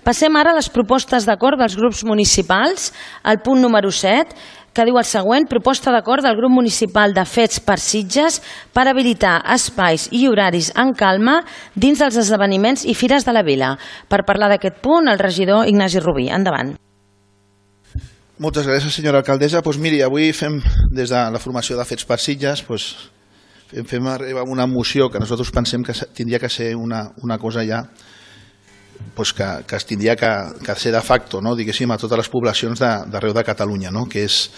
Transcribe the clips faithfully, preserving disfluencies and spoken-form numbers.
Passem ara a les propostes d'acord dels grups municipals, al punt número set, que diu el següent: proposta d'acord del grup municipal de Fets per Sitges per habilitar espais i horaris en calma dins dels esdeveniments i fires de la vila. Per parlar d'aquest punt, el regidor Ignasi Rubí. Endavant. Moltes gràcies, senyora alcaldessa. Doncs miri, avui fem, des de la formació de Fets per Sitges, doncs, fem, fem arribar una moció que nosaltres pensem que tindria que ser una, una cosa ja pues que, que es tindria que, que ser de facto, no? Diguéssim, a totes les poblacions d'arreu de, de Catalunya, no? Que és,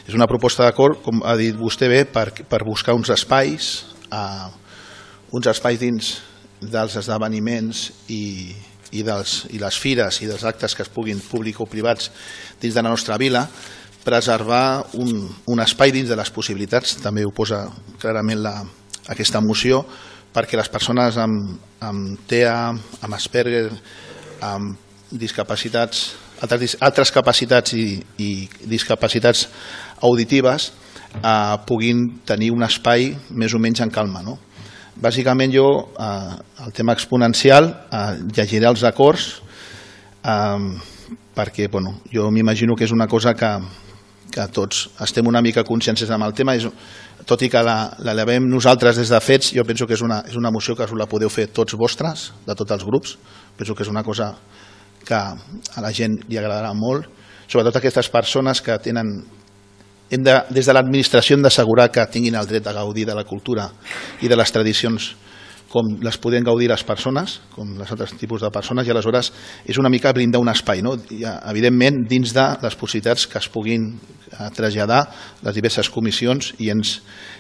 és una proposta d'acord, com ha dit vostè bé, per, per buscar uns espais, uh, uns espais dins dels esdeveniments i, i, dels, i les fires i dels actes que es puguin, públics o privats, dins de la nostra vila, preservar un, un espai dins de les possibilitats, també ho posa clarament la, aquesta moció, perquè les persones amb, amb T E A, amb Asperger, amb discapacitats, altres, altres capacitats i, i discapacitats auditives eh, puguin tenir un espai més o menys en calma. No? Bàsicament jo, eh, el tema exponencial, eh, llegiré els acords, eh, perquè bueno, jo m'imagino que és una cosa que, que tots estem una mica conscients amb el tema, és, tot i que l'elevem nosaltres des de Fets, jo penso que és una, és una moció que us la podeu fer tots vostres, de tots els grups. Penso que és una cosa que a la gent li agradarà molt, sobretot aquestes persones que tenen, hem de, des de l'administració hem d'assegurar que tinguin el dret a gaudir de la cultura i de les tradicions com les poden gaudir les persones, com els altres tipus de persones, i aleshores és una mica blindar un espai, no? I, evidentment, dins de les possibilitats que es puguin traslladar les diverses comissions i ens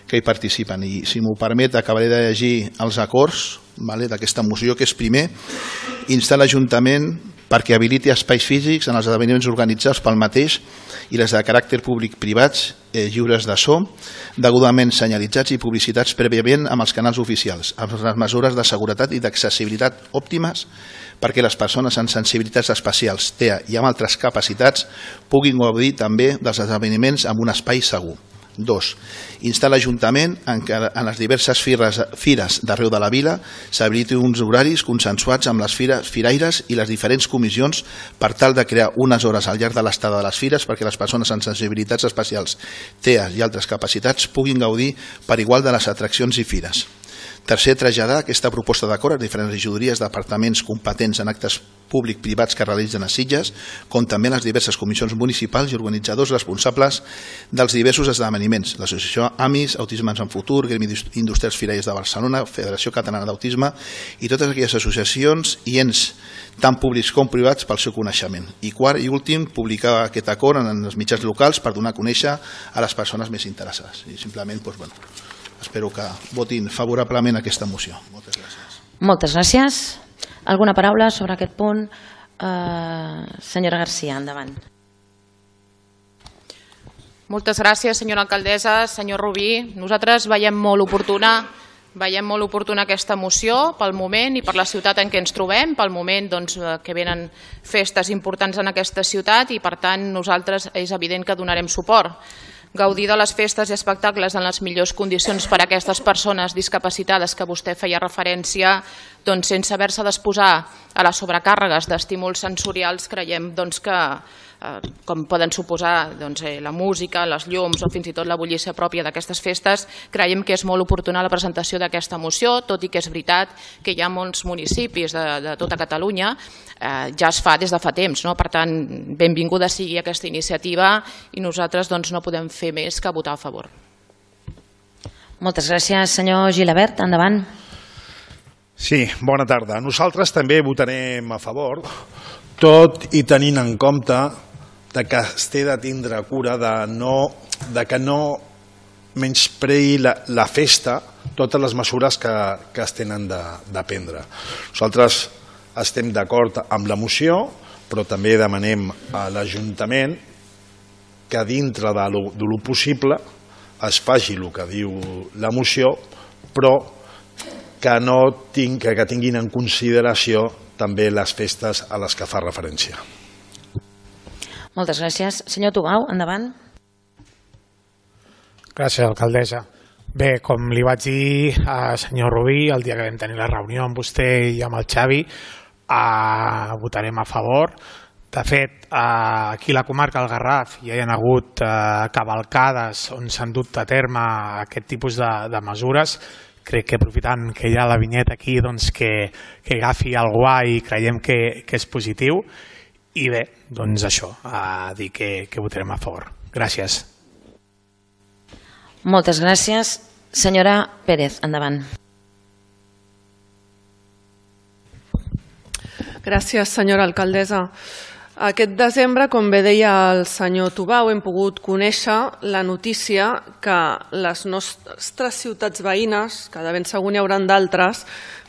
que hi participen. I si m'ho permet, acabaré de llegir els acords, vale, d'aquesta moció, que és primer, instar l'Ajuntament perquè habiliti espais físics en els esdeveniments organitzats pel mateix i les de caràcter públic-privats eh, lliures de so, degudament senyalitzats i publicitats prèviament amb els canals oficials, amb les mesures de seguretat i d'accessibilitat òptimes perquè les persones amb sensibilitats especials, T E A i amb altres capacitats puguin gaudir també dels esdeveniments amb un espai segur. Dos. Instar l'Ajuntament en què en les diverses fires, fires d'arreu de la vila s'habiliti uns horaris consensuats amb les fires, firaires i les diferents comissions per tal de crear unes hores al llarg de l'estada de les fires perquè les persones amb sensibilitats especials, T E A i altres capacitats puguin gaudir per igual de les atraccions i fires. Tercer, traslladar aquesta proposta d'acord a diferents regidories departaments competents en actes públic-privats que realitzen a Sitges, com també les diverses comissions municipals i organitzadors responsables dels diversos esdeveniments, l'associació AMIS, Autisme en Futur, Gremi Industrials Firaires de Barcelona, Federació Catalana d'Autisme i totes aquelles associacions i ens tant públics com privats pel seu coneixement. I quart i últim, publicar aquest acord en els mitjans locals per donar a conèixer a les persones més interessades. I simplement, doncs, bueno, espero que votin favorablement aquesta moció. Moltes gràcies. Moltes gràcies. Alguna paraula sobre aquest punt? Uh, senyora Garcia, endavant. Moltes gràcies, senyora alcaldessa. Senyor Rubí, nosaltres veiem molt oportuna veiem molt oportuna aquesta moció pel moment i per la ciutat en què ens trobem, pel moment doncs, que venen festes importants en aquesta ciutat i per tant nosaltres és evident que donarem suport. Gaudir de les festes i espectacles en les millors condicions per a aquestes persones discapacitades que vostè feia referència, doncs, sense haver-se d'exposar a les sobrecàrregues d'estímuls sensorials, creiem doncs, que, eh, com poden suposar doncs, eh, la música, les llums o fins i tot la bullícia pròpia d'aquestes festes, creiem que és molt oportuna la presentació d'aquesta moció, tot i que és veritat que hi ha molts municipis de, de tota Catalunya, eh, ja es fa des de fa temps, no? Per tant, benvinguda sigui aquesta iniciativa i nosaltres doncs, no podem fer més que votar a favor. Moltes gràcies, senyor Gilabert. Endavant. Sí, bona tarda. Nosaltres també votarem a favor, tot i tenint en compte de que es té de tindre cura de, no, de que no menyspreï la, la festa totes les mesures que, que es tenen de, de prendre. Nosaltres estem d'acord amb la moció, però també demanem a l'Ajuntament que dintre de lo, de lo possible es faci el que diu la moció, però que, no ting, que tinguin en consideració també les festes a les que fa referència. Moltes gràcies. Senyor Tubau, endavant. Gràcies, alcaldessa. Bé, com li vaig dir al senyor Rubí el dia que vam tenir la reunió amb vostè i amb el Xavi, eh, votarem a favor. De fet, eh, aquí a la comarca del Garraf ja hi ha hagut eh, cavalcades on s'han dut a terme aquest tipus de, de mesures. Crec que aprofitant que hi ha la vinyeta aquí, doncs que, que agafi el guai i creiem que, que és positiu. I bé, doncs això, a dir que, que votarem a favor. Gràcies. Moltes gràcies. Senyora Pérez, endavant. Gràcies, senyora alcaldessa. Aquest desembre, com bé deia el senyor Tubau, hem pogut conèixer la notícia que les nostres ciutats veïnes, que de ben segur n'hi hauran d'altres,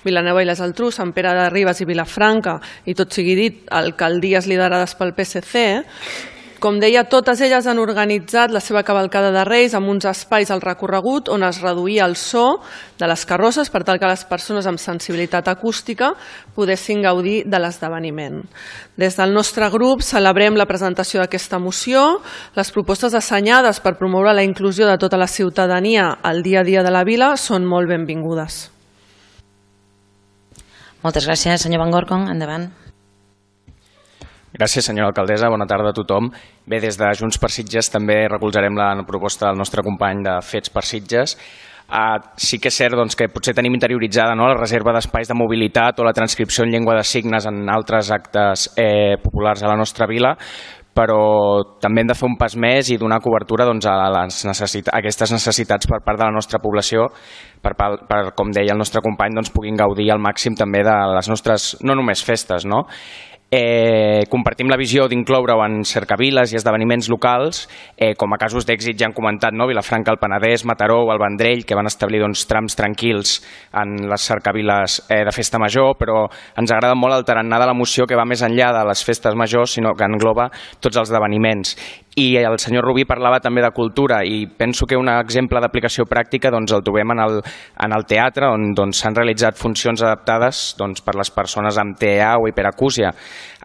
Vilanova i la Geltrú, Sant Pere de Ribes i Vilafranca, i tot sigui dit, alcaldies liderades pel P S C, com deia, totes elles han organitzat la seva cavalcada de Reis amb uns espais al recorregut on es reduïa el so de les carrosses per tal que les persones amb sensibilitat acústica poguessin gaudir de l'esdeveniment. Des del nostre grup celebrem la presentació d'aquesta moció. Les propostes assenyades per promoure la inclusió de tota la ciutadania al dia a dia de la vila són molt benvingudes. Moltes gràcies. Senyor Van Gorkom, endavant. Gràcies, senyora alcaldessa. Bona tarda a tothom. Bé, des de Junts per Sitges també recolzarem la proposta del nostre company de Fets per Sitges. Uh, sí que és cert doncs, que potser tenim interioritzada no, la reserva d'espais de mobilitat o la transcripció en llengua de signes en altres actes eh, populars a la nostra vila, però també hem de fer un pas més i donar cobertura doncs, a, les necessit- a aquestes necessitats per part de la nostra població, per, per, per com deia el nostre company, doncs, puguin gaudir al màxim també de les nostres, no només festes, no? Eh, compartim la visió d'incloure-ho en cercaviles i esdeveniments locals, eh, com a casos d'èxit ja han comentat, no? Vilafranca, el Penedès, Mataró o el Vendrell, que van establir doncs, trams tranquils en les cercaviles eh, de festa major, però ens agrada molt el tarannà de la moció que va més enllà de les festes majors, sinó que engloba tots els esdeveniments. I el senyor Rubí parlava també de cultura i penso que un exemple d'aplicació pràctica doncs, el trobem en el, en el teatre, on doncs, s'han realitzat funcions adaptades doncs, per les persones amb T E A o hiperacúsia.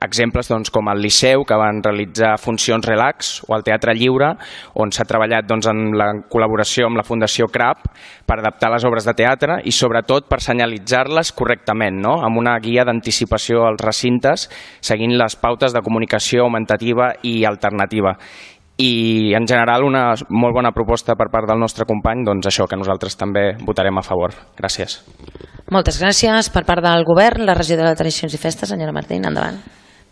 Exemples doncs, com el Liceu, que van realitzar funcions relax, o el Teatre Lliure, on s'ha treballat doncs, en la col·laboració amb la Fundació C R A P per adaptar les obres de teatre i sobretot per senyalitzar-les correctament, no? Amb una guia d'anticipació als recintes, seguint les pautes de comunicació augmentativa i alternativa. I en general una molt bona proposta per part del nostre company, doncs això, que nosaltres també votarem a favor. Gràcies. Moltes gràcies. Per part del govern, la regidora de Tradicions i Festes, senyora Martín, endavant.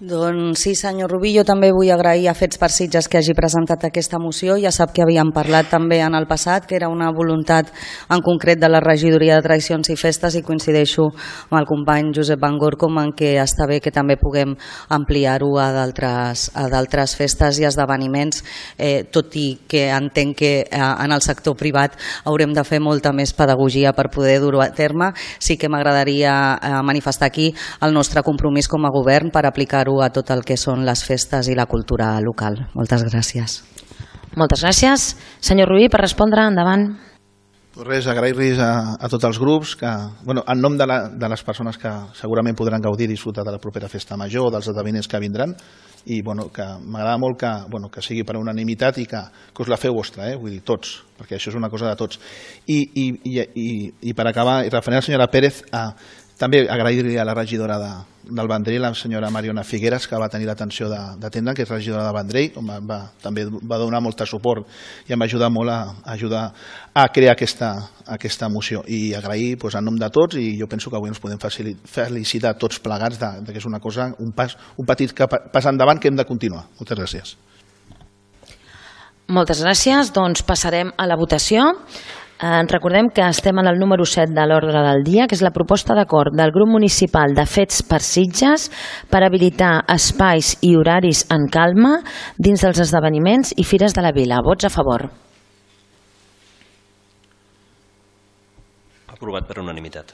Doncs sí, senyor Rubí, jo també vull agrair a Fets per Sitges que hagi presentat aquesta moció. Ja sap que havíem parlat també en el passat, que era una voluntat en concret de la regidoria de Tradicions i Festes, i coincideixo amb el company Josep Van Gorkom en què està bé que també puguem ampliar-ho a d'altres festes i esdeveniments, eh, tot i que entenc que eh, en el sector privat haurem de fer molta més pedagogia per poder dur-ho a terme. Sí que m'agradaria eh, manifestar aquí el nostre compromís com a govern per aplicar-ho a tot el que són les festes i la cultura local. Moltes gràcies. Moltes gràcies. Senyor Rubí, per respondre, endavant. Res, agrair-los a, a tots els grups, que, bueno, en nom de, la, de les persones que segurament podran gaudir i disfrutar de la propera festa major, dels esdeveniments que vindran, i bueno, que m'agrada molt que, bueno, que sigui per unanimitat i que, que us la feu vostra, eh? Vull dir, tots, perquè això és una cosa de tots. I, i, i, i, i per acabar, i referent a la senyora Pérez, a, també agrair-li a la regidora de, del Vendrell, la senyora Mariona Figueres, que va tenir l'atenció d'atendre, que és regidora de Vendrell, on va, va, també va donar molt suport i em va ajudar molt a, a ajudar a crear aquesta, aquesta moció. I agrair doncs, en nom de tots, i jo penso que avui ens podem felicitar tots plegats de, de que és una cosa, un, pas, un petit pas endavant que hem de continuar. Moltes gràcies. Moltes gràcies. Doncs passarem a la votació. Eh, recordem que estem en el número set de l'ordre del dia, que és la proposta d'acord del grup municipal de Fets per Sitges per habilitar espais i horaris en calma dins dels esdeveniments i fires de la vila. Vots a favor. Aprovat per unanimitat.